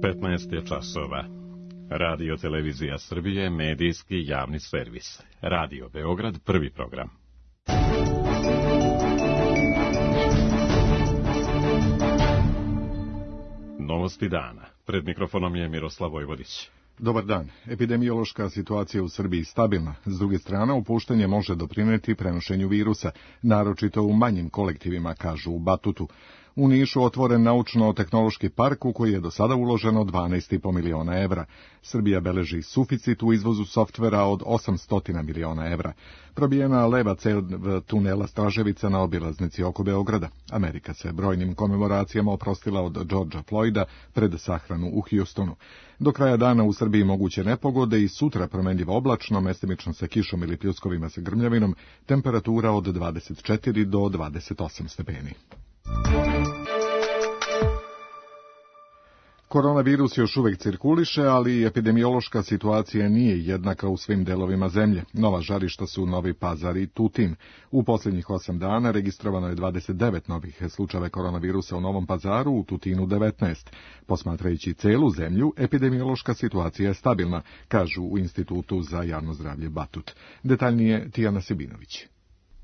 15 je časova. Radio Televizija Srbije, medijski javni servis. Radio Beograd, prvi program. Novosti dana. Pred mikrofonom je Miroslav Vojvodić. Dobar dan. Epidemiološka situacija u Srbiji stabilna. S druge strane, opuštanje može doprineti prenošenju virusa, naročito u manjim kolektivima, kažu u Batutu. U Nišu otvoren naučno-tehnološki park u koji je do sada uloženo 12,5 miliona evra. Srbija beleži suficit u izvozu softvera od 800 miliona evra. Probijena leva cev tunela Straževica na obilaznici oko Beograda. Amerika se brojnim komemoracijama oprostila od Georgea Floyda pred sahranu u Houstonu. Do kraja dana u Srbiji moguće nepogode i sutra promenljivo oblačno, mestimično sa kišom ili pljuskovima sa grmljavinom, temperatura od 24 do 28 stepeni. Koronavirus još uvek cirkuliše, ali epidemiološka situacija nije jednaka u svim delovima zemlje. Nova žarišta su Novi Pazar i Tutin. U posljednjih 8 dana registrovano je 29 novih slučajeva koronavirusa u Novom Pazaru, u Tutinu 19. Posmatrajući celu zemlju, epidemiološka situacija je stabilna, kažu u Institutu za javno zdravlje Batut. Detaljnije Tijana Sebinović.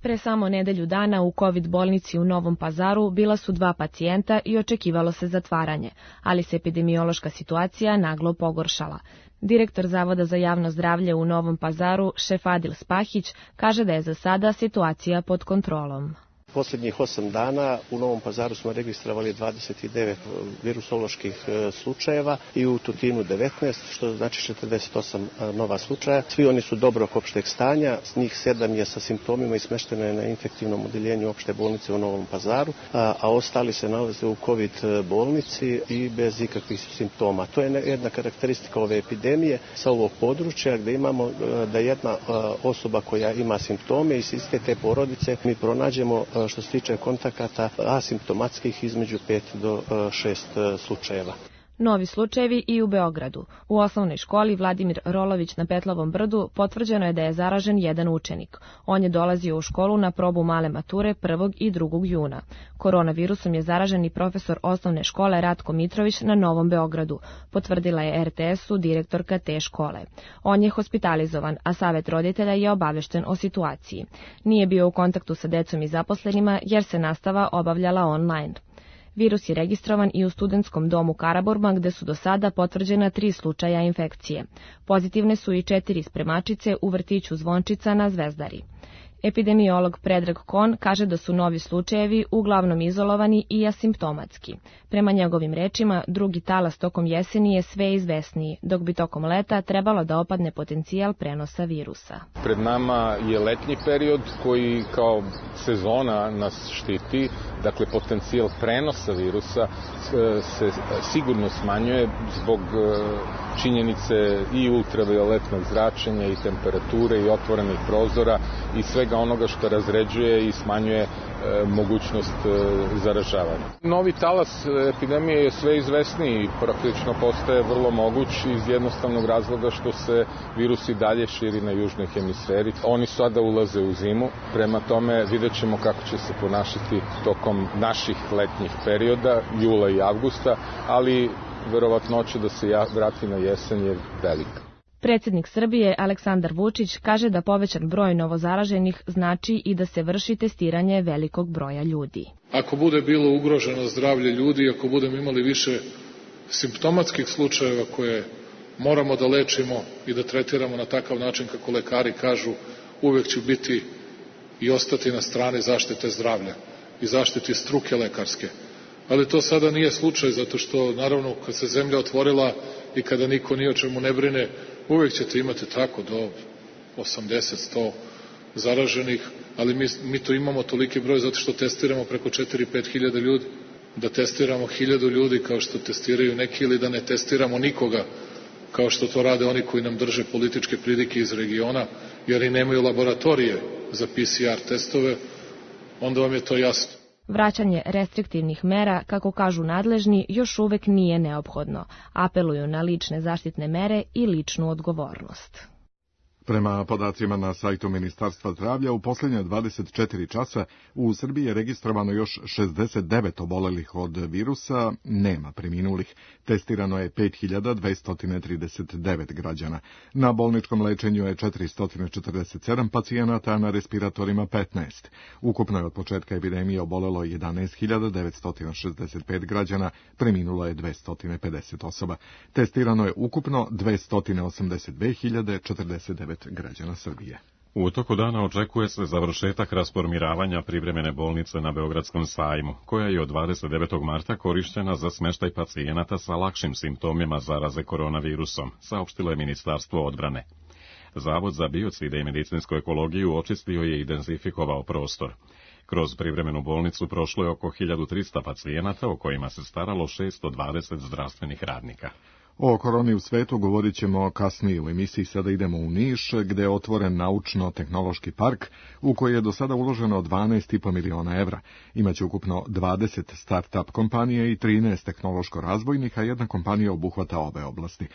Pre samo nedelju dana u COVID bolnici u Novom Pazaru bila su 2 pacijenta i očekivalo se zatvaranje, ali se epidemiološka situacija naglo pogoršala. Direktor Zavoda za javno zdravlje u Novom Pazaru, Šefadil Spahić, kaže da je za sada situacija pod kontrolom. Posljednjih 8 dana u Novom Pazaru smo registrovali 29 virusoloških slučajeva i u Tutinu 19, što znači 48 nova slučaja. Svi oni su dobrog opšteg stanja, s njih 7 je sa simptomima i smješteno je na infektivnom odeljenju opšte bolnice u Novom Pazaru, a ostali se nalaze u COVID bolnici i bez ikakvih simptoma. To je jedna karakteristika ove epidemije sa ovog područja gdje imamo da jedna osoba koja ima simptome iz iste te porodice mi pronađemo što se tiče kontakata asimptomatskih između 5 do 6 slučajeva. Novi slučajevi i u Beogradu. U osnovnoj školi Vladimir Rolović na Petlovom brdu potvrđeno je da je zaražen jedan učenik. On je dolazio u školu na probu male mature 1. i 2. juna. Koronavirusom je zaražen i profesor osnovne škole Ratko Mitrović na Novom Beogradu, potvrdila je RTS-u direktorka te škole. On je hospitalizovan, a savet roditelja je obavešten o situaciji. Nije bio u kontaktu sa decom i zaposlenima jer se nastava obavljala online. Virus je registrovan i u studentskom domu Karaburma, gde su do sada potvrđena 3 slučaja infekcije. Pozitivne su i 4 spremačice u vrtiću Zvončica na Zvezdari. Epidemiolog Predrag Kon kaže da su novi slučajevi uglavnom izolovani i asimptomatski. Prema njegovim rečima, drugi talas tokom jeseni je sve izvesniji, dok bi tokom leta trebalo da opadne potencijal prenosa virusa. Pred nama je letnji period koji kao sezona nas štiti, dakle potencijal prenosa virusa se sigurno smanjuje zbog činjenice i ultravioletnog zračenja i temperature i otvorenih prozora i svega onoga što razređuje i smanjuje mogućnost zaražavanja. Novi talas epidemije je sve izvesniji i praktično postaje vrlo moguć iz jednostavnog razloga što se virus i dalje širi na južnoj hemisferi. Oni sada ulaze u zimu, prema tome vidjet ćemo kako će se ponašati tokom naših letnjih perioda, jula i avgusta, ali verovatnoća da se vrati na jesen je velika. Predsjednik Srbije Aleksandar Vučić kaže da povećan broj novozaraženih znači i da se vrši testiranje velikog broja ljudi. Ako bude bilo ugroženo zdravlje ljudi, ako budemo imali više simptomatskih slučajeva koje moramo da lečimo i da tretiramo na takav način kako lekari kažu, uvek ću biti i ostati na strani zaštite zdravlja i zaštiti struke lekarske. Ali to sada nije slučaj, zato što naravno kad se zemlja otvorila i kada niko ni o čemu ne brine, uvijek ćete imati tako do 80-100 zaraženih, ali mi to imamo toliki broj zato što testiramo preko 4-5 hiljada ljudi. Da testiramo 1000 ljudi kao što testiraju neki ili da ne testiramo nikoga kao što to rade oni koji nam drže političke pridike iz regiona, jer i nemaju laboratorije za PCR testove, onda vam je to jasno. Vraćanje restriktivnih mera, kako kažu nadležni, još uvek nije neophodno. Apeluju na lične zaštitne mere i ličnu odgovornost. Prema podacima na sajtu Ministarstva zdravlja, u posljednje 24 časa u Srbiji je registrovano još 69 obolelih od virusa, nema preminulih. Testirano je 5239 građana. Na bolničkom lečenju je 447 pacijenata, a na respiratorima 15. Ukupno je od početka epidemije obolelo 11.965 građana, preminulo je 250 osoba. Testirano je ukupno 282.049 građana Srbije. U toku dana očekuje se završetak rasformiravanja privremene bolnice na Beogradskom sajmu, koja je od 29. marta korišćena za smeštaj pacijenata sa lakšim simptomima zaraze koronavirusom, saopštilo je Ministarstvo odbrane. Zavod za biocide i medicinsku ekologiju očistio je i dezinfikovao prostor. Kroz privremenu bolnicu prošlo je oko 1300 pacijenata, o kojima se staralo 620 zdravstvenih radnika. O koroni u svetu govorit ćemo kasnije u emisiji. Sada idemo u Niš, gde je otvoren naučno-tehnološki park u koji je do sada uloženo 12,5 miliona evra. Imaće ukupno 20 start-up kompanije i 13 tehnološko-razvojnih, a jedna kompanija obuhvata obe oblasti.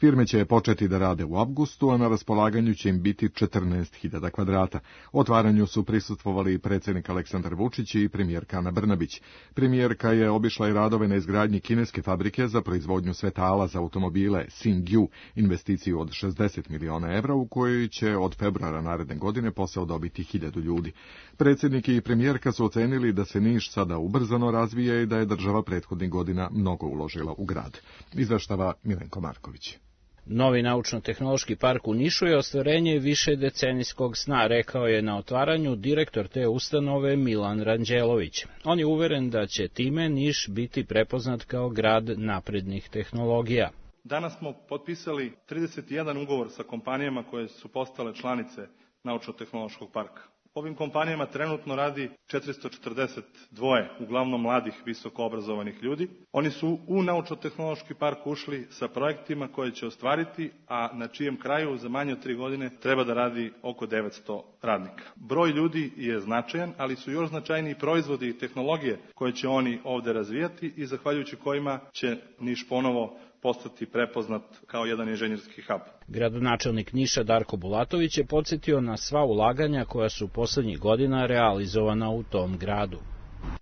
Firme će početi da rade u avgustu, a na raspolaganju će im biti 14.000 kvadrata. Otvaranju su prisustvovali i predsjednik Aleksandar Vučić i premijerka Ana Brnabić. Premijerka je obišla i radove na izgradnji kineske fabrike za proizvodnju svetala za automobile Xingyu, investiciju od 60 miliona evra u kojoj će od februara naredne godine posao dobiti 1000 ljudi. Predsjednik i premijerka su ocenili da se Niš sada ubrzano razvija i da je država prethodnih godina mnogo uložila u grad. Izveštava Milenko Marković. Novi naučno-tehnološki park u Nišu je ostvarenje višedecenijskog sna, rekao je na otvaranju direktor te ustanove Milan Ranđelović. On je uveren da će time Niš biti prepoznat kao grad naprednih tehnologija. Danas smo potpisali 31 ugovor sa kompanijama koje su postale članice naučno-tehnološkog parka. Ovim kompanijama trenutno radi 442, uglavnom mladih, visoko obrazovanih ljudi. Oni su u naučno-tehnološki park ušli sa projektima koje će ostvariti, a na čijem kraju za manje od 3 godine treba da radi oko 900 radnika. Broj ljudi je značajan, ali su još značajniji proizvodi i tehnologije koje će oni ovde razvijati i zahvaljujući kojima će Niš ponovo postati prepoznat kao jedan inženjerski hub. Gradonačelnik Niša Darko Bulatović je podsjetio na sva ulaganja koja su poslednjih godina realizovana u tom gradu.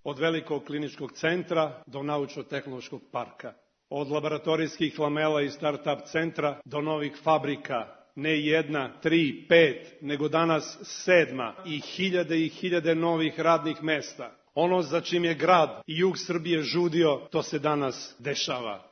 Od velikog kliničkog centra do naučno-tehnološkog parka, od laboratorijskih lamela i start-up centra do novih fabrika, ne 1, 3, 5, nego danas 7 i hiljade novih radnih mesta. Ono za čim je grad i jug Srbije žudio, to se danas dešava.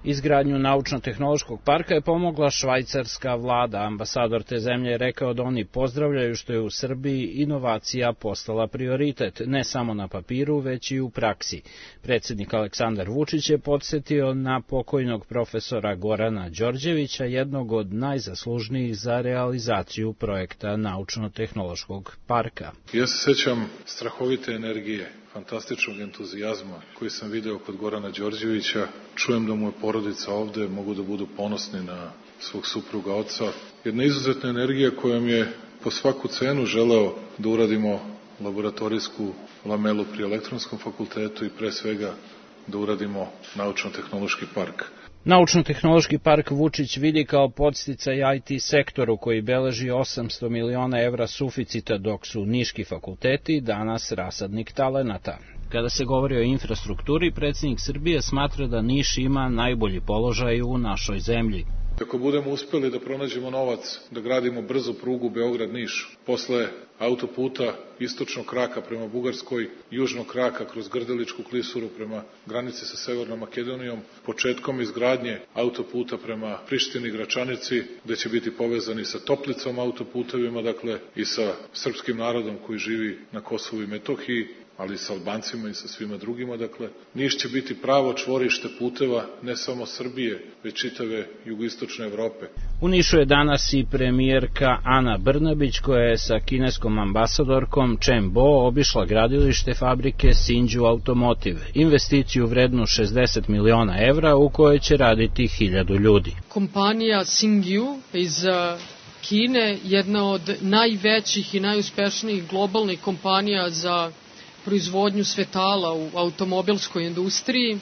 Izgradnju naučno-tehnološkog parka je pomogla švajcarska vlada. Ambasador te zemlje je rekao da oni pozdravljaju što je u Srbiji inovacija postala prioritet, ne samo na papiru, već i u praksi. Predsjednik Aleksandar Vučić je podsjetio na pokojnog profesora Gorana Đorđevića, jednog od najzaslužnijih za realizaciju projekta naučno-tehnološkog parka. Ja se sećam strahovite energije, fantastičnog entuzijazma koji sam video kod Gorana Đorđevića. Čujem da mu je porodica ovde, mogu da budu ponosni na svog supruga oca. Jedna izuzetna energija kojom je po svaku cenu želeo da uradimo laboratorijsku lamelu pri Elektronskom fakultetu i pre svega da uradimo naučno-tehnološki park. Naučno-tehnološki park Vučić vidi kao podsticaj IT sektoru koji beleži 800 miliona evra suficita, dok su niški fakulteti danas rasadnik talenata. Kada se govori o infrastrukturi, predsjednik Srbije smatra da Niš ima najbolji položaj u našoj zemlji. Ako budemo uspeli da pronađemo novac, da gradimo brzu prugu Beograd-Niš, posle autoputa istočnog kraka prema Bugarskoj, južnog kraka kroz Grdeličku klisuru prema granici sa Severnom Makedonijom, početkom izgradnje autoputa prema Prištini, Gračanici, gde će biti povezani sa Toplicom autoputevima, dakle i sa srpskim narodom koji živi na Kosovu i Metohiji, ali i sa Albancima i sa svima drugima, dakle, Niš će biti pravo čvorište puteva ne samo Srbije, već čitave jugoistočne Evrope. U Nišu je danas i premijerka Ana Brnabić, koja je sa kineskom ambasadorkom Chen Bo obišla gradilište fabrike Xingyu Automotive, investiciju vrednu 60 miliona evra u kojoj će raditi 1000 ljudi. Kompanija Xingyu iz Kine, jedna od najvećih i najuspešnijih globalnih kompanija za proizvodnju svetala u automobilskoj industriji,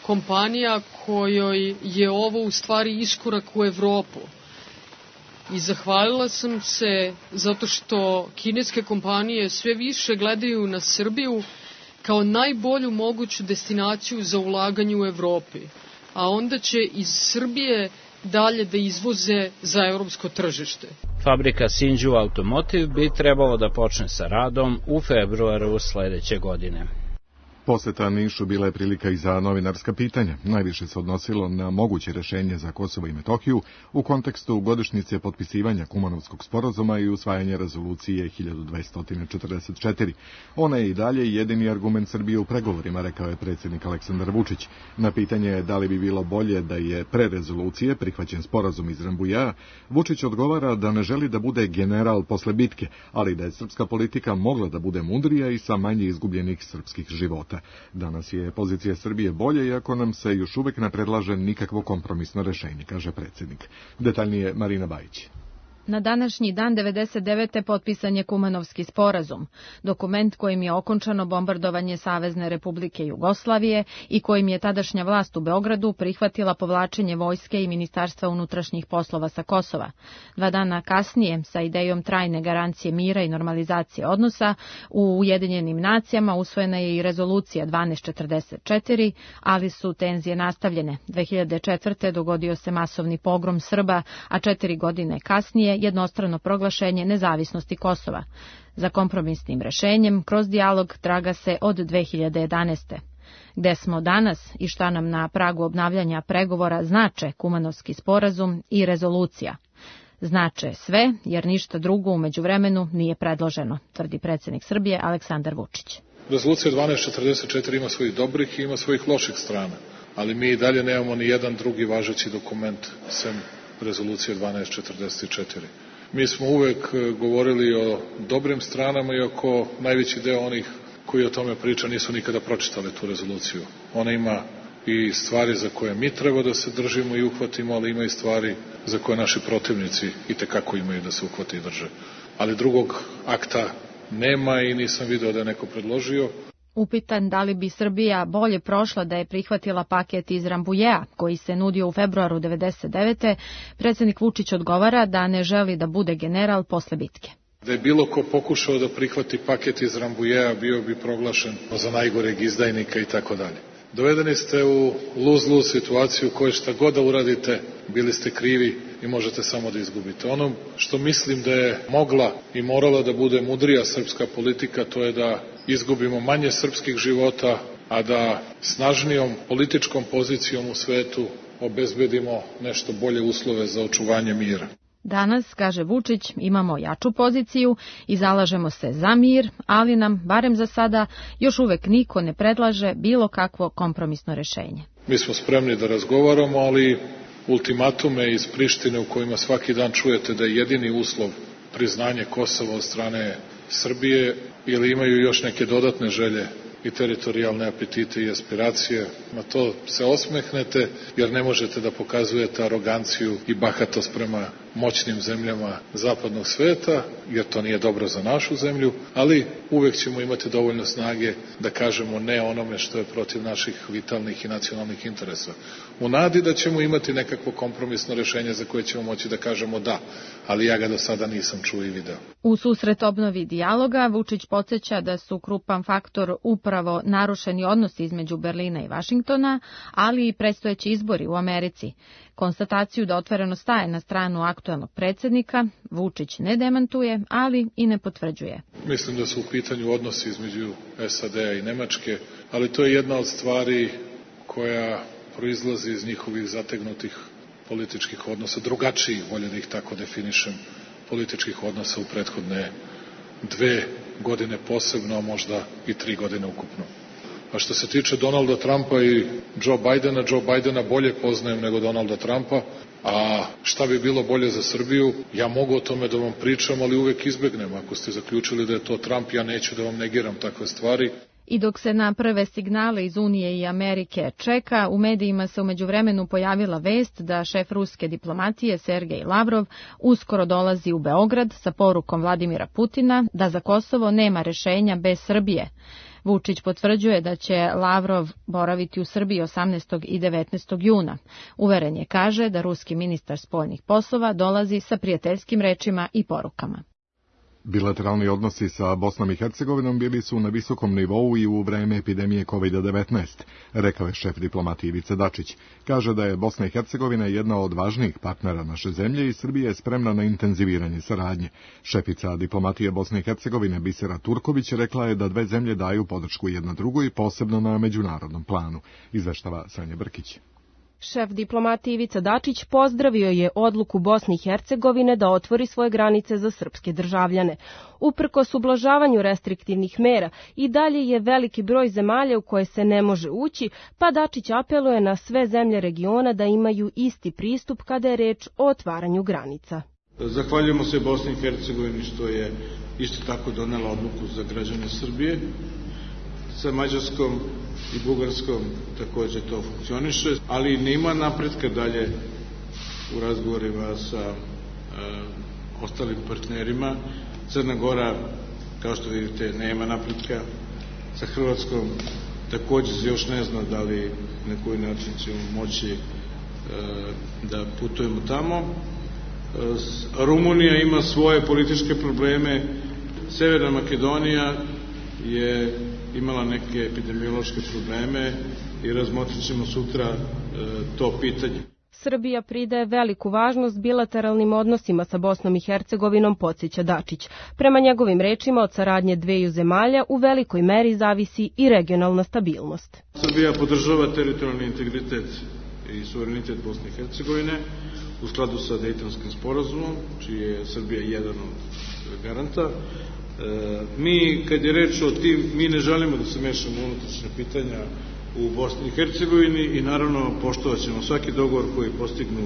kompanija kojoj je ovo u stvari iskorak u Evropu. i zahvalila sam se zato što kineske kompanije sve više gledaju na Srbiju kao najbolju moguću destinaciju za ulaganje u Evropi, a onda će iz Srbije dalje da izvoze za evropsko tržište. Fabrika Sinju Automotive bi trebalo da počne sa radom u februaru sledeće godine. Poseta Nišu bila je prilika i za novinarska pitanja. Najviše se odnosilo na moguće rešenje za Kosovo i Metohiju u kontekstu godišnjice potpisivanja Kumanovskog sporazuma i usvajanja rezolucije 1244. Ona je i dalje jedini argument Srbije u pregovorima, rekao je predsjednik Aleksandar Vučić. Na pitanje da li bi bilo bolje da je pre rezolucije prihvaćen sporazum iz Rambujea, Vučić odgovara da ne želi da bude general posle bitke, ali da je srpska politika mogla da bude mudrija i sa manje izgubljenih srpskih života. Danas je pozicija Srbije bolje, iako nam se još uvek ne predlaže nikakvo kompromisno rešenje, kaže predsjednik. Detaljnije Marina Bajić. Na današnji dan 99. potpisan je Kumanovski sporazum, dokument kojim je okončano bombardovanje Savezne Republike Jugoslavije i kojim je tadašnja vlast u Beogradu prihvatila povlačenje vojske i Ministarstva unutrašnjih poslova sa Kosova. 2 dana kasnije, sa idejom trajne garancije mira i normalizacije odnosa, u Ujedinjenim nacijama usvojena je i rezolucija 1244, ali su tenzije nastavljene. 2004. dogodio se masovni pogrom Srba, a 4 godine kasnije jednostrano proglašenje nezavisnosti Kosova. Za kompromisnim rešenjem kroz dijalog traga se od 2011. Gde smo danas i šta nam na pragu obnavljanja pregovora znače Kumanovski sporazum i rezolucija? Znače sve, jer ništa drugo u međuvremenu nije predloženo, tvrdi predsjednik Srbije Aleksandar Vučić. Rezolucija 1244 ima svojih dobrih i ima svojih loših strana, ali mi i dalje nemamo ni jedan drugi važeći dokument sem rezolucije 1244. Mi smo uvek govorili o dobrim stranama, iako najveći deo onih koji o tome priča nisu nikada pročitali tu rezoluciju. Ona ima i stvari za koje mi treba da se držimo i uhvatimo, ali ima i stvari za koje naši protivnici itekako imaju da se uhvate i drže. Ali drugog akta nema i nisam video da je neko predložio. Upitan da li bi Srbija bolje prošla da je prihvatila paket iz Rambujea, koji se nudio u februaru 1999. predsjednik Vučić odgovara da ne želi da bude general posle bitke. Da je bilo ko pokušao da prihvati paket iz Rambujea, bio bi proglašen za najgoreg izdajnika i tako dalje. Dovedeni ste u lose-lose situaciju u kojoj šta god da uradite, bili ste krivi i možete samo da izgubite. Ono što mislim da je mogla i morala da bude mudrija srpska politika, to je da izgubimo manje srpskih života, a da snažnijom političkom pozicijom u svetu obezbedimo nešto bolje uslove za očuvanje mira. Danas, kaže Vučić, imamo jaču poziciju i zalažemo se za mir, ali nam, barem za sada, još uvek niko ne predlaže bilo kakvo kompromisno rešenje. Mi smo spremni da razgovaramo, ali ultimatume iz Prištine u kojima svaki dan čujete da je jedini uslov priznanje Kosova od strane Srbije ili imaju još neke dodatne želje i teritorijalne apetite i aspiracije, na to se osmehnete jer ne možete da pokazujete aroganciju i bahatost prema moćnim zemljama zapadnog sveta, jer to nije dobro za našu zemlju, ali uvek ćemo imati dovoljno snage da kažemo ne onome što je protiv naših vitalnih i nacionalnih interesa. U nadi da ćemo imati nekakvo kompromisno rešenje za koje ćemo moći da kažemo da, ali ja ga do sada nisam čuo i video. U susret obnovi dijaloga, Vučić podsjeća da su krupan faktor upravo narušeni odnosi između Berlina i Vašingtona, ali i predstojeći izbori u Americi. Konstataciju da otvoreno staje na stranu aktuelnog predsjednika, Vučić ne demantuje, ali i ne potvrđuje. Mislim da su u pitanju odnosi između SAD-a i Nemačke, ali to je jedna od stvari koja proizlazi iz njihovih zategnutih političkih odnosa, drugačijih, bolje da ih tako definišem, političkih odnosa u prethodne 2 godine posebno, a možda i 3 godine ukupno. A što se tiče Donalda Trumpa i Joe Bidena bolje poznajem nego Donalda Trumpa, a šta bi bilo bolje za Srbiju, ja mogu o tome da vam pričam, ali uvek izbegnem. Ako ste zaključili da je to Trump, ja neću da vam negiram takve stvari. I dok se na prve signale iz Unije i Amerike čeka, u medijima se u međuvremenu pojavila vest da šef ruske diplomatije Sergej Lavrov uskoro dolazi u Beograd sa porukom Vladimira Putina da za Kosovo nema rešenja bez Srbije. Vučić potvrđuje da će Lavrov boraviti u Srbiji 18. i 19. juna. Uveren je, kaže, da ruski ministar spoljnih poslova dolazi sa prijateljskim rečima i porukama. Bilateralni odnosi sa Bosnom i Hercegovinom bili su na visokom nivou i u vreme epidemije COVID-19, rekao je šef diplomatije Ivica Dačić. Kaže da je Bosna i Hercegovina jedna od važnijih partnera naše zemlje i Srbija je spremna na intenziviranje saradnje. Šefica diplomatije Bosne i Hercegovine Bisera Turković rekla je da dve zemlje daju podršku jedna drugoj, posebno na međunarodnom planu, izveštava Sanja Brkić. Šef diplomatije Ivica Dačić pozdravio je odluku Bosne i Hercegovine da otvori svoje granice za srpske državljane. Uprkos ublažavanju restriktivnih mera i dalje je veliki broj zemalja u koje se ne može ući, pa Dačić apeluje na sve zemlje regiona da imaju isti pristup kada je reč o otvaranju granica. Zahvaljujemo se Bosni i Hercegovini što je isto tako donela odluku za građane Srbije. Sa Mađarskom i Bugarskom takođe to funkcioniše, ali nema napretka dalje u razgovorima sa ostalim partnerima. Crna Gora, kao što vidite, nema napretka. Sa Hrvatskom takođe se još ne zna da li na koji način ćemo moći da putujemo tamo. Rumunija ima svoje političke probleme. Severna Makedonija je imala neke epidemiološke probleme i razmotrit ćemo sutra to pitanje. Srbija pridaje veliku važnost bilateralnim odnosima sa Bosnom i Hercegovinom, podsjeća Dačić. Prema njegovim rečima, od saradnje dveju zemalja u velikoj meri zavisi i regionalna stabilnost. Srbija podržava teritorijalni integritet i suverenitet Bosne i Hercegovine u skladu sa Dejtonskim sporazumom, čiji je Srbija jedan od garanta. Mi, kad je reč o tim, mi ne želimo da se mešamo u unutrašnja pitanja u Bosni i Hercegovini i naravno poštovat ćemo svaki dogovor koji postignu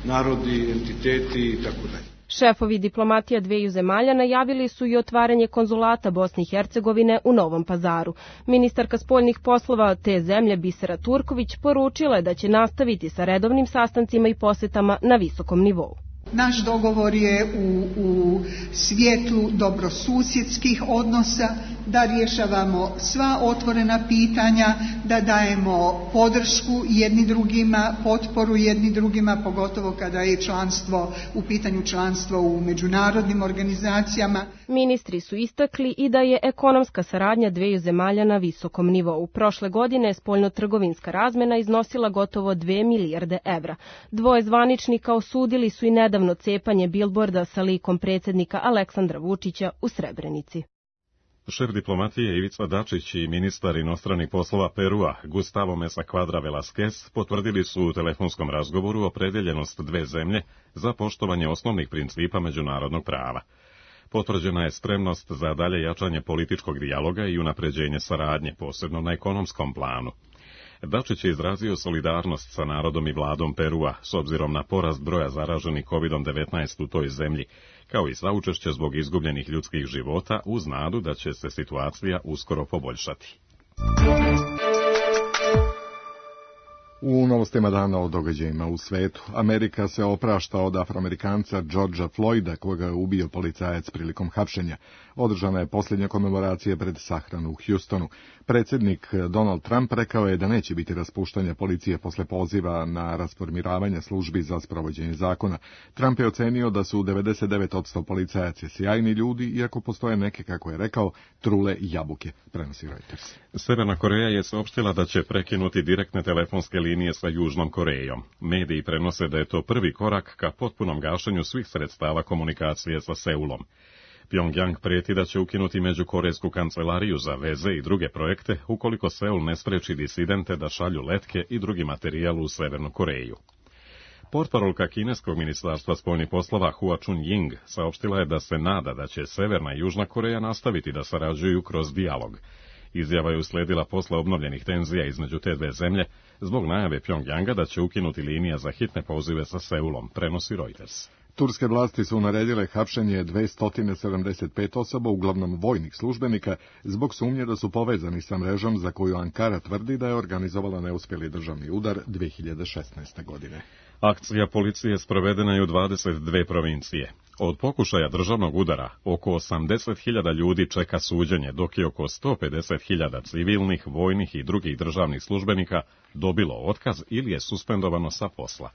narodi, entiteti i tako dalje. Šefovi diplomatija dveju zemalja najavili su i otvaranje konzulata Bosne i Hercegovine u Novom Pazaru. Ministarka spoljnih poslova te zemlje Bisera Turković poručila je da će nastaviti sa redovnim sastancima i posetama na visokom nivou. Naš dogovor je u svjetlu dobrosusjedskih odnosa, da rješavamo sva otvorena pitanja, da dajemo podršku jedni drugima, potporu jedni drugima, pogotovo kada je u pitanju članstvo u međunarodnim organizacijama. Ministri su istakli i da je ekonomska saradnja dveju zemalja na visokom nivou. Prošle godine spoljnotrgovinska razmena iznosila gotovo 2 milijarde evra. Dvoje zvaničnika osudili su i nedavno cepanje bilborda sa likom predsjednika Aleksandra Vučića u Srebrenici. Šef diplomatije Ivica Dačić i ministar inostranih poslova Perua Gustavo Mesa Quadra Velasquez potvrdili su u telefonskom razgovoru opredeljenost dve zemlje za poštovanje osnovnih principa međunarodnog prava. Potvrđena je spremnost za dalje jačanje političkog dijaloga i unapređenje saradnje, posebno na ekonomskom planu. Dačić je izrazio solidarnost sa narodom i vladom Perua s obzirom na porast broja zaraženih COVID-19 u toj zemlji, kao i saučešće zbog izgubljenih ljudskih života uz nadu da će se situacija uskoro poboljšati. U novostima dana o događajima u svetu, Amerika se oprašta od Afroamerikanca Georgea Floyda, koga je ubio policajac prilikom hapšenja. Održana je posljednja komemoracija pred sahranu u Houstonu. Predsjednik Donald Trump rekao je da neće biti raspuštanja policije posle poziva na rasformiravanje službi za sprovođenje zakona. Trump je ocenio da su 99% policajaca sjajni ljudi, iako postoje neke, kako je rekao, trule jabuke, prenosi Reuters. Severna Koreja je saopštila da će prekinuti direktne telefonske linije sa Južnom Korejom. Mediji prenose da je to prvi korak ka potpunom gašenju svih sredstava komunikacije sa Seulom. Pyongyang prijeti da će ukinuti međukorejsku kancelariju za veze i druge projekte ukoliko Seul ne spreči disidente da šalju letke i drugi materijal u Severnu Koreju. Portparolka kineskog ministarstva spoljnih poslova Hua Chunying saopštila je da se nada da će Severna i Južna Koreja nastaviti da sarađuju kroz dijalog. Izjava je usledila posle obnovljenih tenzija između te dve zemlje zbog najave Pyongyanga da će ukinuti linija za hitne pozive sa Seulom, prenosi Reuters. Turske vlasti su naredile hapšenje 275 osoba, uglavnom vojnih službenika, zbog sumnje da su povezani sa mrežom za koju Ankara tvrdi da je organizovala neuspjeli državni udar 2016. godine. Akcija policije sprovedena je u 22 provincije. Od pokušaja državnog udara, oko 80.000 ljudi čeka suđenje, dok je oko 150.000 civilnih, vojnih i drugih državnih službenika dobilo otkaz ili je suspendovano sa posla.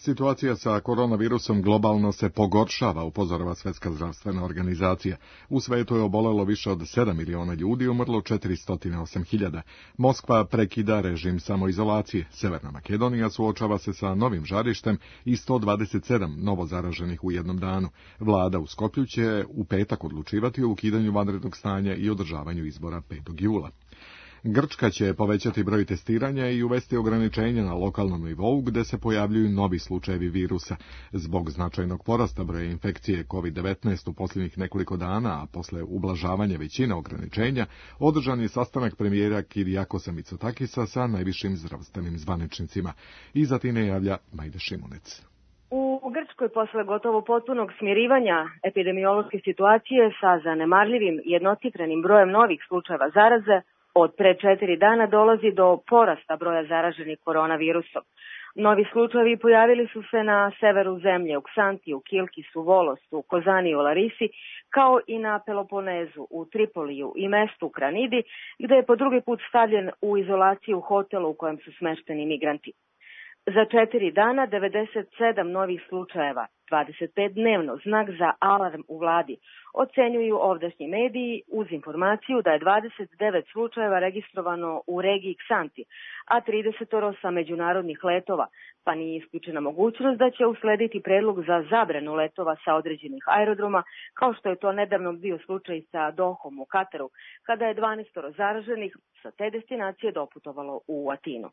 Situacija sa koronavirusom globalno se pogoršava, upozorava Svjetska zdravstvena organizacija. U svetu je obolelo više od 7 miliona ljudi, umrlo 408.000. Moskva prekida režim samoizolacije. Severna Makedonija suočava se sa novim žarištem i 127 novo zaraženih u jednom danu. Vlada u Skoplju će u petak odlučivati o ukidanju vanrednog stanja i održavanju izbora 5. jula. Grčka će povećati broj testiranja i uvesti ograničenja na lokalnom nivou gde se pojavljuju novi slučajevi virusa. Zbog značajnog porasta broja infekcije COVID-19 u posljednjih nekoliko dana, a posle ublažavanja većine ograničenja, održan je sastanak premijera Kirijakosa Mitsotakisa sa najvišim zdravstvenim zvaničnicima. Iz Atine javlja Majda Šimunec. U Grčkoj posle gotovo potpunog smirivanja epidemiološke situacije sa zanemarljivim jednocifrenim brojem novih slučajeva zaraze, od pre 4 dana dolazi do porasta broja zaraženih koronavirusom. Novi slučajevi pojavili su se na severu zemlje, u Ksantiju, Kilkisu, Volosu, Kozaniju, Larisi, kao i na Peloponezu, u Tripoliju i mestu Kranidi, gde je po drugi put stavljen u izolaciju hotelu u kojem su smešteni migranti. Za 4 dana 97 novih slučajeva, 25 dnevno, znak za alarm u vladi, ocenjuju ovdašnji mediji uz informaciju da je 29 slučajeva registrovano u regiji Ksanti, a 30 sa međunarodnih letova, pa nije isključena mogućnost da će uslediti predlog za zabranu letova sa određenih aerodroma, kao što je to nedavno bio slučaj sa Dohom u Kataru, kada je 12 zaraženih sa te destinacije doputovalo u Atinu.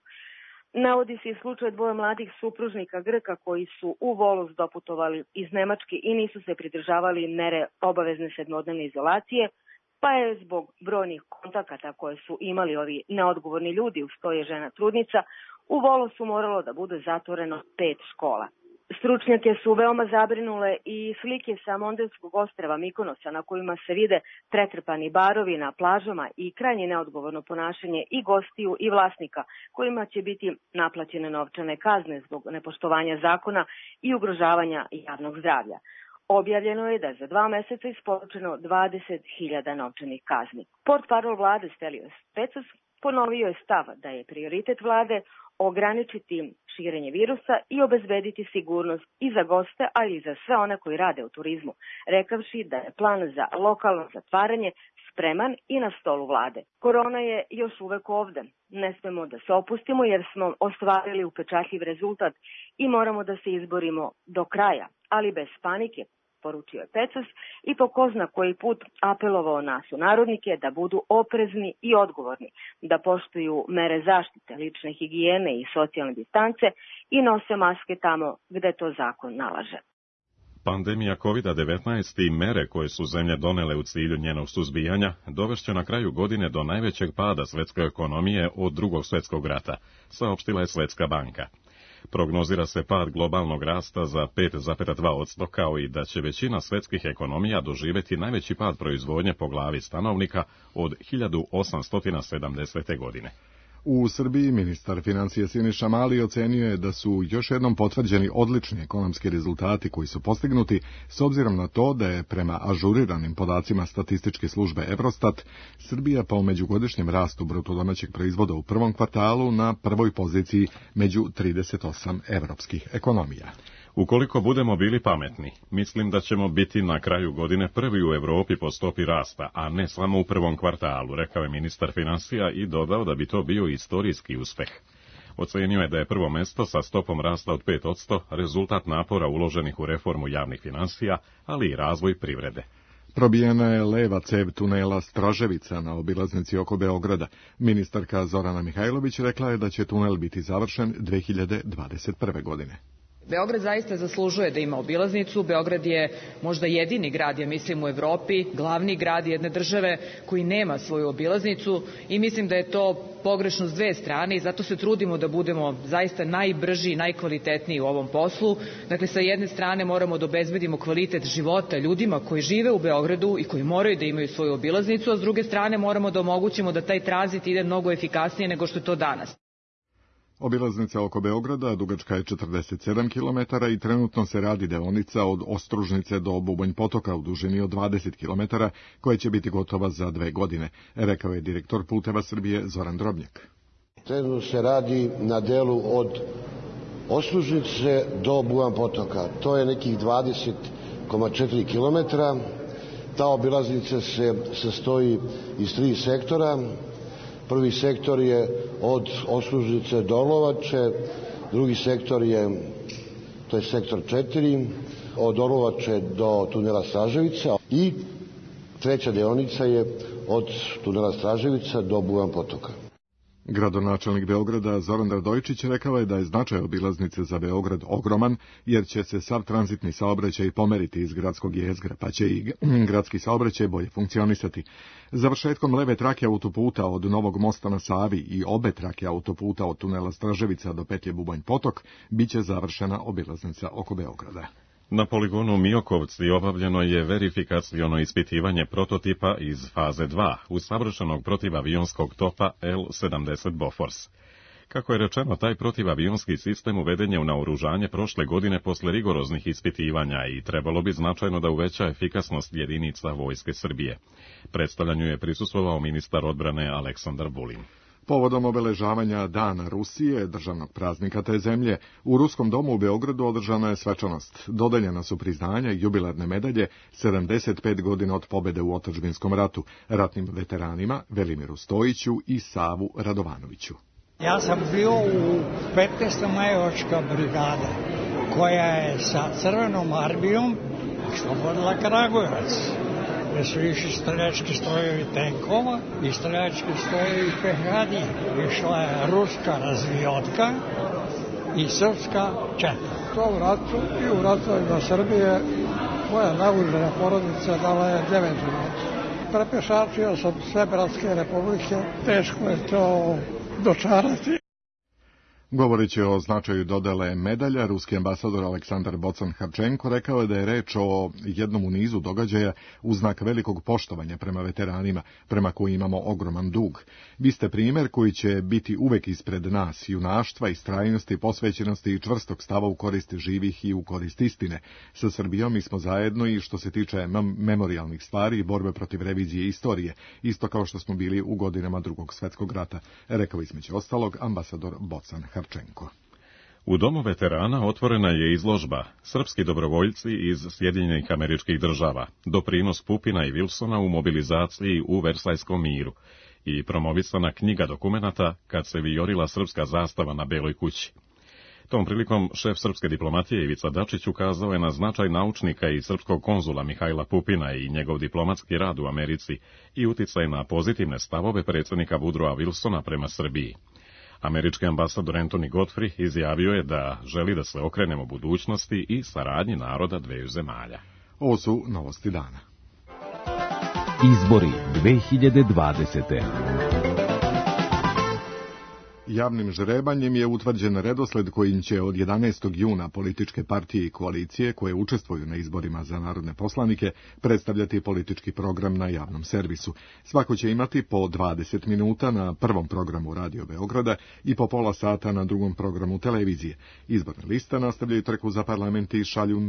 Navodi se i slučaj dvoje mladih supružnika Grka koji su u Volos doputovali iz Nemačke i nisu se pridržavali mere obavezne 7-dnevne izolacije, pa je zbog brojnih kontakata koje su imali ovi neodgovorni ljudi, uz to je žena trudnica, u Volosu moralo da bude zatvoreno 5 škola. Stručnjake su veoma zabrinule i slike sa Mondelskog ostrva Mikonosa na kojima se vide pretrpani barovi na plažama i krajnje neodgovorno ponašanje i gostiju i vlasnika kojima će biti naplaćene novčane kazne zbog nepoštovanja zakona i ugrožavanja javnog zdravlja. Objavljeno je da je za 2 meseca isporučeno 20.000 novčanih kazni. Portparol vlade Stelios Pecos ponovio je stav da je prioritet vlade ograničiti širenje virusa i obezbediti sigurnost i za goste, ali i za sve one koji rade u turizmu, rekavši da je plan za lokalno zatvaranje spreman i na stolu vlade. Korona je još uvek ovde. Ne smemo da se opustimo jer smo ostvarili upečatljiv rezultat i moramo da se izborimo do kraja, ali bez panike, poručio je Pecos i po ko zna koji put apelovao na sunarodnike da budu oprezni i odgovorni, da poštuju mere zaštite, lične higijene i socijalne distance i nose maske tamo gde to zakon nalaže. Pandemija COVID-19 i mere koje su zemlje donele u cilju njenog suzbijanja dovešće na kraju godine do najvećeg pada svetske ekonomije od Drugog svjetskog rata, saopštila je Svetska banka. Prognozira se pad globalnog rasta za 5,2%, kao i da će većina svetskih ekonomija doživjeti najveći pad proizvodnje po glavi stanovnika od 1870. godine. U Srbiji ministar financija Siniša Mali ocenio je da su još jednom potvrđeni odlični ekonomski rezultati koji su postignuti s obzirom na to da je prema ažuriranim podacima statističke službe Eurostat Srbija po međugodišnjem rastu brutodomaćeg proizvoda u prvom kvartalu na prvoj poziciji među 38 evropskih ekonomija. Ukoliko budemo bili pametni, mislim da ćemo biti na kraju godine prvi u Evropi po stopi rasta, a ne samo u prvom kvartalu, rekao je ministar financija i dodao da bi to bio istorijski uspeh. Ocenio je da je prvo mesto sa stopom rasta od 5% rezultat napora uloženih u reformu javnih finansija, ali i razvoj privrede. Probijena je leva cev tunela Straževica na obilaznici oko Beograda. Ministarka Zorana Mihajlović rekla je da će tunel biti završen 2021. godine. Beograd zaista zaslužuje da ima obilaznicu. Beograd je možda jedini grad, ja mislim, u Evropi, glavni grad jedne države koji nema svoju obilaznicu i mislim da je to pogrešno s dve strane i zato se trudimo da budemo zaista najbrži i najkvalitetniji u ovom poslu. Dakle, sa jedne strane moramo da obezbedimo kvalitet života ljudima koji žive u Beogradu i koji moraju da imaju svoju obilaznicu, a s druge strane moramo da omogućimo da taj tranzit ide mnogo efikasnije nego što je to danas. Obilaznica oko Beograda dugačka je 47 km i trenutno se radi deonica od Ostružnice do Bubanj Potoka u dužini od 20 km, koja će biti gotova za 2 godine, rekao je direktor Puteva Srbije Zoran Drobnjak. Trenutno se radi na delu od Ostružnice do Bubanj Potoka. To je nekih 20,4 km. Ta obilaznica se sastoji iz 3 sektora. Prvi sektor je od Ostružnice do Orlovače, drugi sektor to je sektor 4, od Orlovače do tunela Straževica i treća deonica je od tunela Straževica do Bubanj Potoka. Gradonačelnik Beograda Zoran Radojičić rekao je da je značaj obilaznice za Beograd ogroman, jer će se sav tranzitni saobraćaj pomeriti iz gradskog jezgra, pa će i gradski saobraćaj bolje funkcionisati. Završetkom leve trake autoputa od Novog mosta na Savi i obe trake autoputa od tunela Straževica do petlje Bubanj Potok biće završena obilaznica oko Beograda. Na poligonu Miokovci obavljeno je verifikaciono ispitivanje prototipa iz faze 2 usavršenog protivavionskog topa L-70 Bofors. Kako je rečeno, taj protivavionski sistem uveden je u naoružanje prošle godine posle rigoroznih ispitivanja i trebalo bi značajno da uveća efikasnost jedinica Vojske Srbije. Predstavljanju je prisustvovao ministar odbrane Aleksandar Vulin. Povodom obeležavanja Dana Rusije, državnog praznika te zemlje, u Ruskom domu u Beogradu održana je svečanost. Dodeljena su priznanja i jubilarne medalje 75 godina od pobede u Otadžbinskom ratu, ratnim veteranima Velimiru Stojiću i Savu Radovanoviću. Ja sam bio u 15. majevačka brigada, koja je sa Crvenom armijom oslobodila Kragujevac, gde su išli streljački strojevi tenkova i streljački strojevi pehadi. Išla je ruska razvijotka i srpska četa. To u ratu i u ratovima Srbije moja naoružana porodica dala je 9 života. Prepešačio sam sve bratske republike, teško je to dočarati. Govoreći o značaju dodele medalja, ruski ambasador Aleksandar Bocan-Harčenko rekao je da je reč o jednom u nizu događaja u znak velikog poštovanja prema veteranima, prema koji imamo ogroman dug. Vi ste primer koji će biti uvek ispred nas, junaštva, istrajnosti, posvećenosti i čvrstog stava u korist živih i u korist istine. Sa Srbijom mi smo zajedno i što se tiče memorijalnih stvari i borbe protiv revizije istorije, isto kao što smo bili u godinama Drugog svjetskog rata, rekao između ostalog ambasador Bocan-Harčenko. U Domu veterana otvorena je izložba Srpski dobrovoljci iz Sjedinjenih Američkih Država, doprinos Pupina i Wilsona u mobilizaciji u Versajskom miru i promovisana knjiga dokumenata Kad se vijorila srpska zastava na Beloj kući. Tom prilikom šef srpske diplomatije Ivica Dačić ukazao je na značaj naučnika i srpskog konzula Mihajla Pupina i njegov diplomatski rad u Americi i uticaj na pozitivne stavove predsjednika Woodrowa Wilsona prema Srbiji. Američki ambasador Anthony Godfrey izjavio je da želi da se okrenemo budućnosti i saradnji naroda dveju zemalja. Ovo su novosti dana. Izbori 2020. Javnim žrebanjem je utvrđen redosled kojim će od 11. juna političke partije i koalicije koje učestvuju na izborima za narodne poslanike predstavljati politički program na javnom servisu. Svako će imati po 20 minuta na prvom programu Radio Beograda i po pola sata na drugom programu televizije. Izborne liste nastavljaju trku za parlament i šalju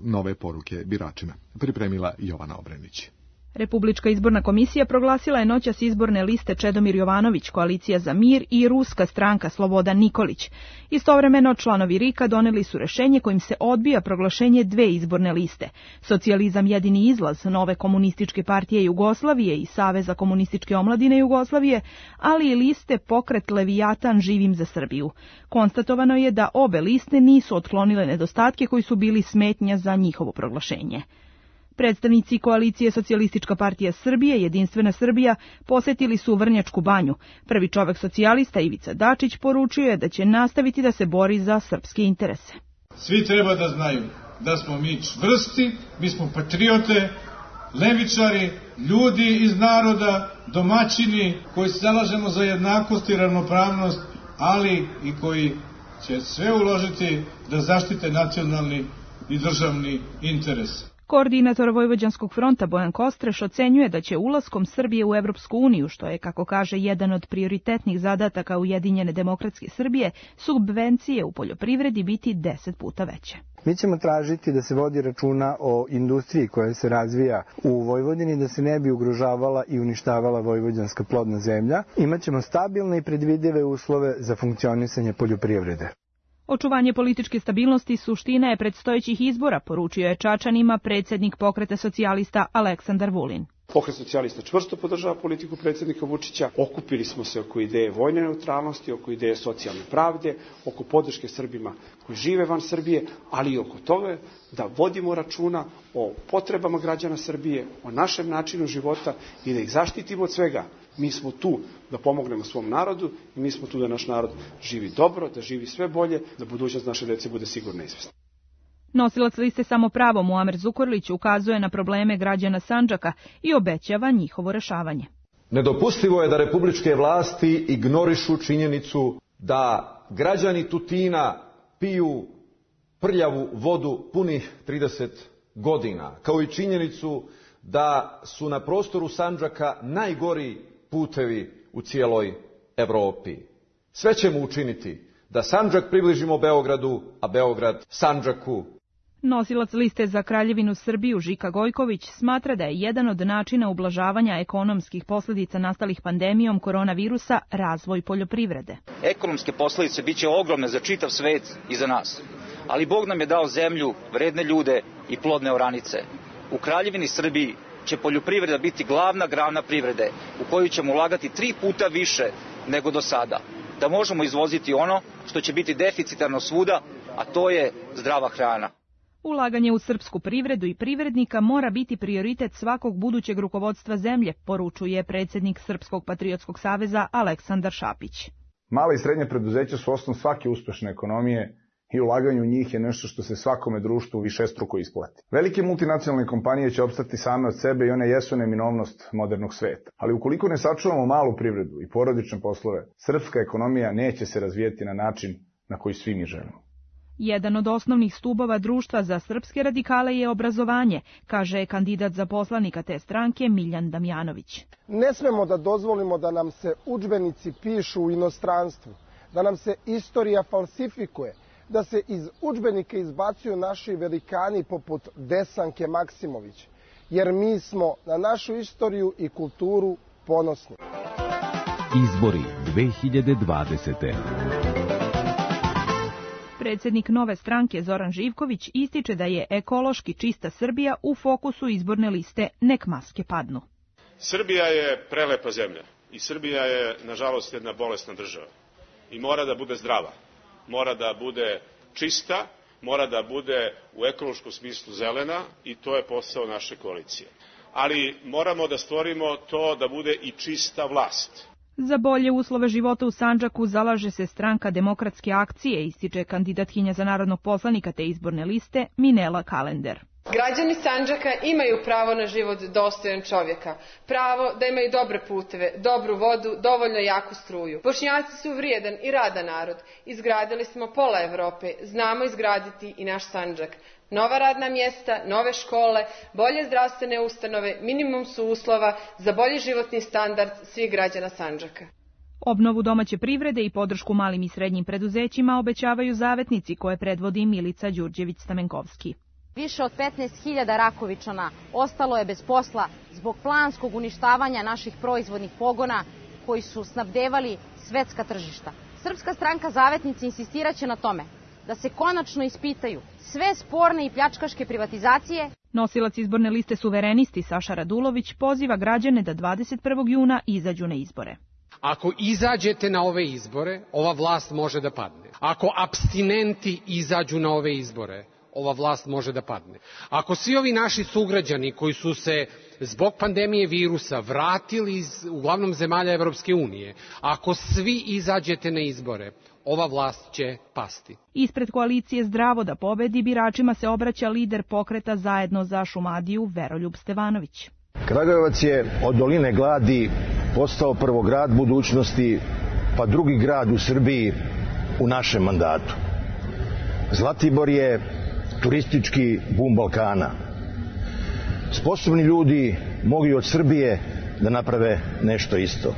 nove poruke biračima. Pripremila Jovana Obrenić. Republička izborna komisija proglasila je noćas izborne liste Čedomir Jovanović, Koalicija za mir i Ruska stranka Slobodan Nikolić. Istovremeno članovi RIK-a doneli su rešenje kojim se odbija proglašenje dve izborne liste. Socijalizam jedini izlaz, Nove komunističke partije Jugoslavije i Saveza komunističke omladine Jugoslavije, ali i liste Pokret Levijatan Živim za Srbiju. Konstatovano je da obe liste nisu otklonile nedostatke koji su bili smetnja za njihovo proglašenje. Predstavnici koalicije Socijalistička partija Srbije, Jedinstvena Srbija, posetili su Vrnjačku banju. Prvi čovek socijalista Ivica Dačić poručio je da će nastaviti da se bori za srpske interese. Svi treba da znaju da smo mi čvrsti, mi smo patriote, levičari, ljudi iz naroda, domaćini koji se zalažemo za jednakost i ravnopravnost, ali i koji će sve uložiti da zaštite nacionalni i državni interes. Koordinator Vojvođanskog fronta Bojan Kostreš ocenjuje da će ulaskom Srbije u Evropsku uniju, što je, kako kaže, jedan od prioritetnih zadataka Ujedinjene demokratske Srbije, subvencije u poljoprivredi biti 10 puta veće. Mi ćemo tražiti da se vodi računa o industriji koja se razvija u Vojvodini, da se ne bi ugrožavala i uništavala vojvođanska plodna zemlja. Imaćemo stabilne i predvidive uslove za funkcionisanje poljoprivrede. Očuvanje političke stabilnosti suština je predstojećih izbora, poručio je Čačanima predsjednik Pokreta socijalista Aleksandar Vulin. Pokret socijalista čvrsto podržava politiku predsjednika Vučića. Okupili smo se oko ideje vojne neutralnosti, oko ideje socijalne pravde, oko podrške Srbima koji žive van Srbije, ali i oko toga da vodimo računa o potrebama građana Srbije, o našem načinu života i da ih zaštitimo od svega. Mi smo tu da pomognemo svom narodu i mi smo tu da naš narod živi dobro, da živi sve bolje, da budućnost naše dece bude sigurna i izvesna. Nosilac liste Samopravo Muamer Zukorlić ukazuje na probleme građana Sandžaka i obećava njihovo rešavanje. Nedopustivo je da republičke vlasti ignorišu činjenicu da građani Tutina piju prljavu vodu punih 30 godina, kao i činjenicu da su na prostoru Sandžaka najgori putevi u cijeloj Evropi. Sve ćemo učiniti da Sandžak približimo Beogradu, a Beograd Sandžaku. Nosilac liste za Kraljevinu Srbiju Žika Gojković smatra da je jedan od načina ublažavanja ekonomskih posljedica nastalih pandemijom koronavirusa razvoj poljoprivrede. Ekonomske posljedice biće ogromne za čitav svet i za nas, ali Bog nam je dao zemlju, vredne ljude i plodne oranice. U Kraljevini Srbiji će poljoprivreda biti glavna grana privrede u koju ćemo ulagati 3 puta više nego do sada, da možemo izvoziti ono što će biti deficitarno svuda, a to je zdrava hrana. Ulaganje u srpsku privredu i privrednika mora biti prioritet svakog budućeg rukovodstva zemlje, poručuje predsjednik Srpskog patriotskog saveza Aleksandar Šapić. Mala i srednje preduzeća su osnov svake uspešne ekonomije i ulaganje u njih je nešto što se svakome društvu višestruko isplati. Velike multinacionalne kompanije će opstati same od sebe i one jesu neminovnost modernog sveta. Ali ukoliko ne sačuvamo malu privredu i porodične poslove, srpska ekonomija neće se razvijeti na način na koji svi mi želimo. Jedan od osnovnih stubova društva za srpske radikale je obrazovanje, kaže kandidat za poslanika te stranke Miljan Damjanović. Ne smemo da dozvolimo da nam se udžbenici pišu u inostranstvu, da nam se istorija falsifikuje, da se iz udžbenika izbacuju naši velikani poput Desanke Maksimović, jer mi smo na našu istoriju i kulturu ponosni. Izbori 2020. Predsjednik Nove stranke Zoran Živković ističe da je ekološki čista Srbija u fokusu izborne liste Nek maske padnu. Srbija je prelepa zemlja i Srbija je, nažalost, jedna bolesna država i mora da bude zdrava, mora da bude čista, mora da bude u ekološkom smislu zelena i to je posao naše koalicije. Ali moramo da stvorimo to da bude i čista vlast. Za bolje uslove života u Sandžaku zalaže se stranka Demokratske akcije, ističe kandidatkinja za narodnog poslanika te izborne liste Minela Kalender. Građani Sandžaka imaju pravo na život dostojan čovjeka, pravo da imaju dobre puteve, dobru vodu, dovoljno jaku struju. Bošnjaci su vrijedan i radan narod. Izgradili smo pola Evrope, znamo izgraditi i naš Sandžak. Nova radna mjesta, nove škole, bolje zdravstvene ustanove, minimum su uslova za bolji životni standard svih građana Sandžaka. Obnovu domaće privrede i podršku malim i srednjim preduzećima obećavaju zavetnici koje predvodi Milica Đurđević-Stamenkovski. Više od 15.000 Rakovičana ostalo je bez posla zbog planskog uništavanja naših proizvodnih pogona koji su snabdevali svetska tržišta. Srpska stranka Zavetnici insistiraće na tome da se konačno ispitaju sve sporne i pljačkaške privatizacije. Nosilac izborne liste Suverenisti Saša Radulović poziva građane da 21. juna izađu na izbore. Ako izađete na ove izbore, ova vlast može da padne. Ako apstinenti izađu na ove izbore, ova vlast može da padne. Ako svi ovi naši sugrađani koji su se zbog pandemije virusa vratili iz uglavnom zemalja Evropske unije, ako svi izađete na izbore, ova vlast će pasti. Ispred koalicije Zdravo da pobedi biračima se obraća lider pokreta Zajedno za Šumadiju Veroljub Stevanović. Kragujevac je od doline gladi postao prvo grad budućnosti, pa drugi grad u Srbiji u našem mandatu. Zlatibor je turistički bum Balkana. sposobni ljudi mogu i od Srbije da naprave nešto isto.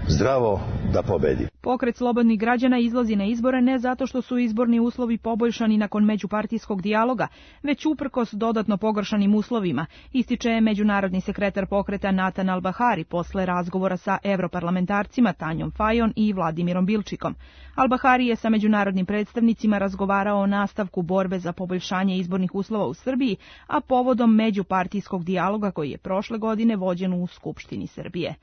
Zdravo da pobedi. Pokret slobodnih građana izlazi na izbore ne zato što su izborni uslovi poboljšani nakon međupartijskog dijaloga, već uprkos dodatno pogoršanim uslovima, ističe međunarodni sekretar pokreta Natan Al-Bahari posle razgovora sa evroparlamentarcima Tanjom Fajon i Vladimirom Bilčikom. Al-Bahari je sa međunarodnim predstavnicima razgovarao o nastavku borbe za poboljšanje izbornih uslova u Srbiji, a povodom međupartijskog dijaloga koji je prošle godine vođen u Skupštini Srbije.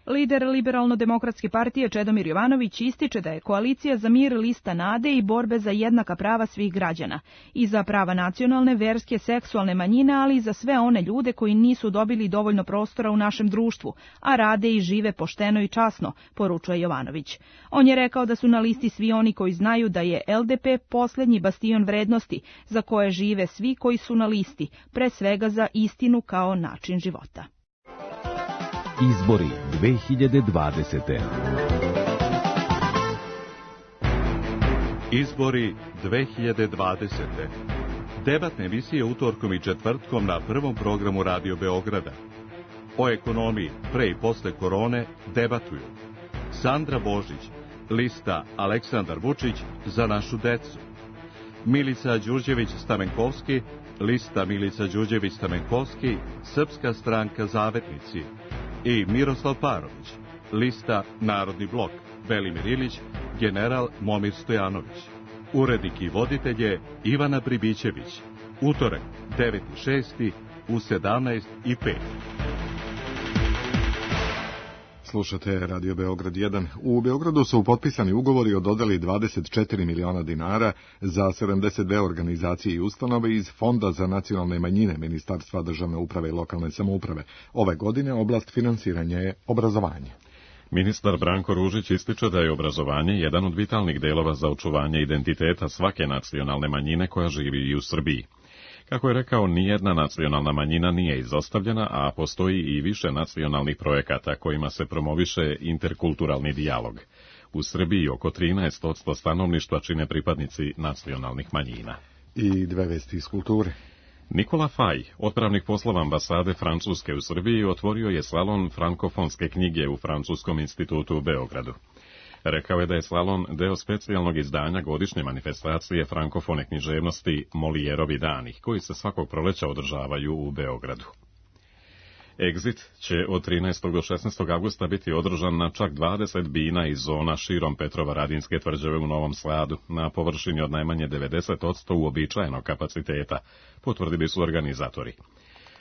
Lider Liberalno-demokratske partije Čedomir Jovanović ističe da je koalicija za mir lista nade i borbe za jednaka prava svih građana i za prava nacionalne, verske, seksualne manjine, ali i za sve one ljude koji nisu dobili dovoljno prostora u našem društvu, a rade i žive pošteno i časno, poručuje Jovanović. On je rekao da su na listi svi oni koji znaju da je LDP posljednji bastion vrednosti za koje žive svi koji su na listi, pre svega za istinu kao način života. Izbori 2020. Izbori 2020. Debatne emisije utorkom i četvrtkom na prvom programu Radio Beograda. O ekonomiji pre i posle korone debatuju Sandra Božić, lista Aleksandar Vučić za našu decu. Milica Đurđević-Stamenkovski, lista Milica Đurđević-Stamenkovski, Srpska stranka Zavetnici. I Miroslav Parović, lista Narodni blok, Velimir Ilić, general Momir Stojanović. Urednik i voditelj je Ivana Pribićević. Utorak, 9.6. u 17.05. Slušate Radio Beograd 1. U Beogradu su potpisani ugovori o dodeli 24 miliona dinara za 72 organizacije i ustanove iz Fonda za nacionalne manjine Ministarstva državne uprave i lokalne samouprave. Ove godine oblast finansiranja je obrazovanje. Ministar Branko Ružić ističe da je obrazovanje jedan od vitalnih delova za očuvanje identiteta svake nacionalne manjine koja živi i u Srbiji. Kako je rekao, nijedna nacionalna manjina nije izostavljena, a postoji i više nacionalnih projekata kojima se promoviše interkulturalni dijalog. U Srbiji oko 13% stanovništva čine pripadnici nacionalnih manjina. I dve vesti iz kulture. Nikola Faj, otpravnik poslova ambasade Francuske u Srbiji, otvorio je salon frankofonske knjige u Francuskom institutu u Beogradu. Rekao je da je salon deo specijalnog izdanja godišnje manifestacije frankofone književnosti Molijerovi dani, koji se svakog proleća održavaju u Beogradu. Exit će od 13. do 16. avgusta biti održan na čak 20 bina i zona širom Petrovaradinske tvrđave u Novom Sadu, na površini od najmanje 90% uobičajenog kapaciteta, potvrdili su organizatori.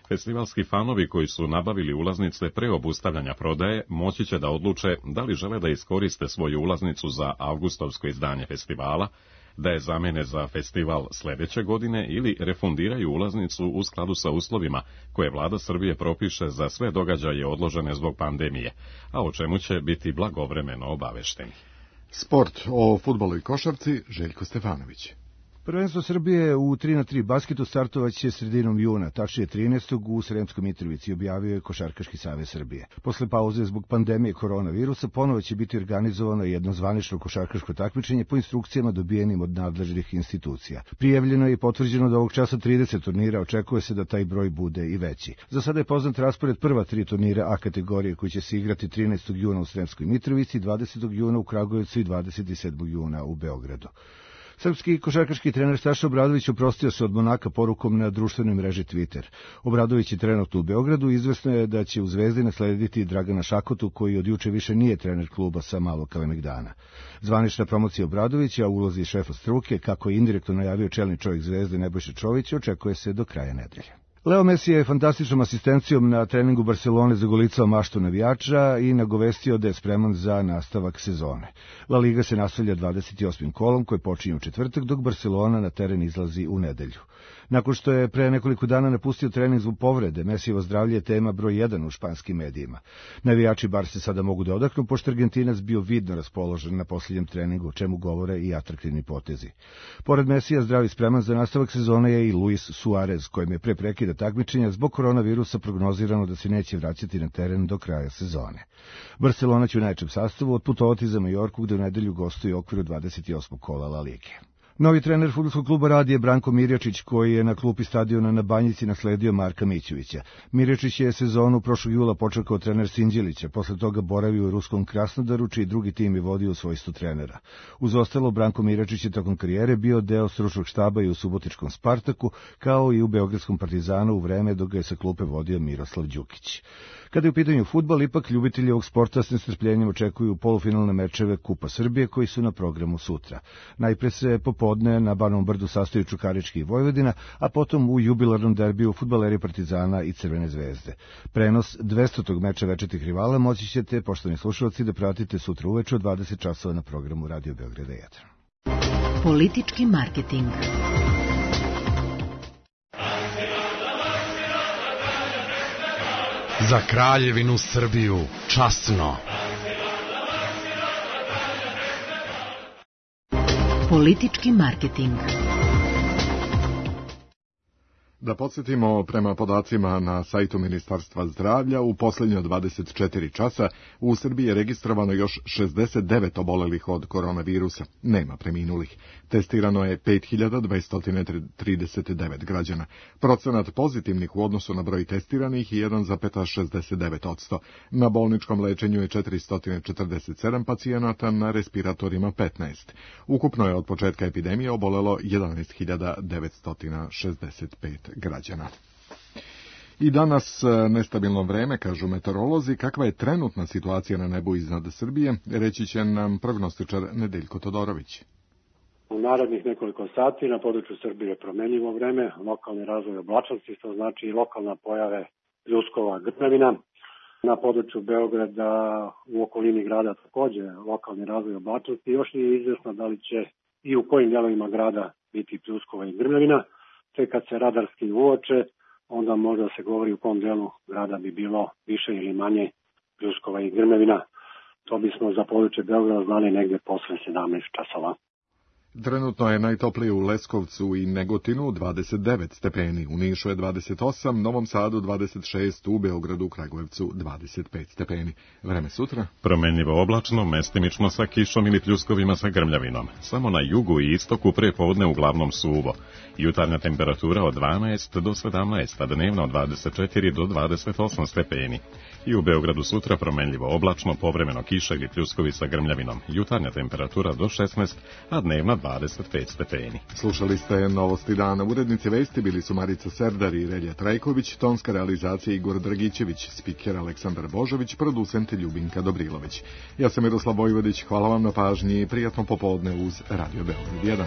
Festivalski fanovi koji su nabavili ulaznice pre obustavljanja prodaje moći će da odluče da li žele da iskoriste svoju ulaznicu za avgustovsko izdanje festivala, da je zamene za festival sledeće godine ili refundiraju ulaznicu u skladu sa uslovima koje vlada Srbije propiše za sve događaje odložene zbog pandemije, a o čemu će biti blagovremeno obavešteni. Sport o fudbalu i košarci, Željko Stefanović. Prvenstvo Srbije u 3x3 basketu startovaće sredinom juna, tačnije 13. u Sremskoj Mitrovici, objavio je Košarkaški savez Srbije. Posle pauze zbog pandemije koronavirusa ponovo će biti organizovano jedno zvanično košarkaško takmičenje po instrukcijama dobijenim od nadležnih institucija. Prijavljeno je i potvrđeno da ovog časa 30 turnira, očekuje se da taj broj bude i veći. Za sada je poznat raspored prva 3 turnira A kategorije koji će se igrati 13. juna u Sremskoj Mitrovici, 20. juna u Kragujevcu i 27. juna u Beogradu. Srpski košarkaški trener Saša Obradović oprostio se od Monaka porukom na društvenoj mreži Twitter. Obradović je trenutno u Beogradu, izvesno je da će u Zvezdi naslediti Dragana Šakotu, koji od juče više nije trener kluba sa Malog Kalemegdana. Zvanična promocija Obradovića u ulozi šefa struke, kako je indirektno najavio čelni čovjek Zvezde Nebojša Čović, očekuje se do kraja nedelje. Leo Messi je fantastičnom asistencijom na treningu Barcelone zagolicao maštu navijača i nagovestio da je spreman za nastavak sezone. La Liga se nastavlja 28. kolom koji počinje u četvrtak, dok Barcelona na teren izlazi u nedelju. Nakon što je pre nekoliko dana napustio trening zbog povrede, Messijevo zdravlje je tema broj 1 u španskim medijima. Navijači Barse sada mogu da odahnu, pošto Argentinac bio vidno raspoložen na posljednjem treningu, o čemu govore i atraktivni potezi. Pored Messija zdrav i spreman za nastavak sezone je i Luis Suarez, kojem je pre prekida takmičenja zbog koronavirusa prognozirano da se neće vraćati na teren do kraja sezone. Barcelona će u najjačem sastavu otputovati za Majorku, gde u nedelju gostuje u okviru 28. kola La Lige. Novi trener fudbalskog kluba Rad je Branko Mirjačić, koji je na klupi stadiona na Banjici nasledio Marka Mićevića. Mirjačić je sezonu prošlog jula počeo kao trener Sinđelića, posle toga boravio u ruskom Krasnodaru, čiji drugi tim je vodio u svojstvu trenera. Uz ostalo, Branko Mirjačić je tokom karijere bio deo stručnog štaba i u subotičkom Spartaku, kao i u beogradskom Partizanu u vreme dok ga je sa klupe vodio Miroslav Đukić. Kada je u pitanju fudbal, ipak ljubitelji ovog sporta s nestrpljenjem očekuju polufinalne mečeve Kupa Srbije koji su na programu sutra. Najpre se popodne na Banovom Brdu sastaju Čukarički i Vojvodina, a potom u jubilarnom derbiju fudbaleri Partizana i Crvene zvezde. Prenos 200. meča večitih rivala moći ćete, poštovani slušalci, da pratite sutra uveče od 20 časova na programu Radio Beograda 1. Politički marketing. Za Kraljevinu Srbiju, časno. Politički marketing. Da podsjetimo, prema podacima na sajtu Ministarstva zdravlja, u posljednje 24 časa u Srbiji je registrovano još 69 obolelih od koronavirusa. Nema preminulih. Testirano je 5239 građana. Procenat pozitivnih u odnosu na broj testiranih je 1,69%. Na bolničkom lečenju je 447 pacijenata, na respiratorima 15. Ukupno je od početka epidemije obolelo 11.965 građana. I danas nestabilno vreme, kažu meteorolozi. Kakva je trenutna situacija na nebu iznad Srbije, reći će nam prognostičar Nedeljko Todorović. U narednih nekoliko sati na području Srbije je promenljivo vreme, lokalni razvoj oblačnosti, to znači i lokalna pojave pljuskova, grmevina. Na području Beograda, u okolini grada takođe lokalni razvoj oblačnosti. Još nije izvesno da li će i u kojim delovima grada biti pljuskova i grmevina. Te kad se radarski uoče, onda može da se govori u kom delu grada bi bilo više ili manje pljuskova i grmevina. To bismo za područje Beograda znali negde posle 17 časova. Trenutno je najtoplije u Leskovcu i Negotinu 29 stepeni, u Nišu je 28, Novom Sadu 26, u Beogradu, Kragujevcu 25 stepeni. Vreme sutra? Promenljivo oblačno, mestimično sa kišom ili pljuskovima sa grmljavinom. Samo na jugu i istoku prepodne uglavnom suvo. Jutarnja temperatura od 12 do 17, a dnevna od 24 do 28 stepeni. I u Beogradu sutra promenljivo oblačno, povremeno kiša ili pljuskovi sa grmljavinom. Jutarnja temperatura do 16, a dnevna 25 stepeni. Slušali ste Novosti dana. Urednici vesti bili su Marica Serdar i Relja Trajković, tonska realizacija Igor Dragićević, spiker Aleksandar Božović, producent Ljubinka Dobrilović. Ja sam Miroslav Vojvodić, hvala vam na pažnji i prijatno popodne uz Radio Beograd 1.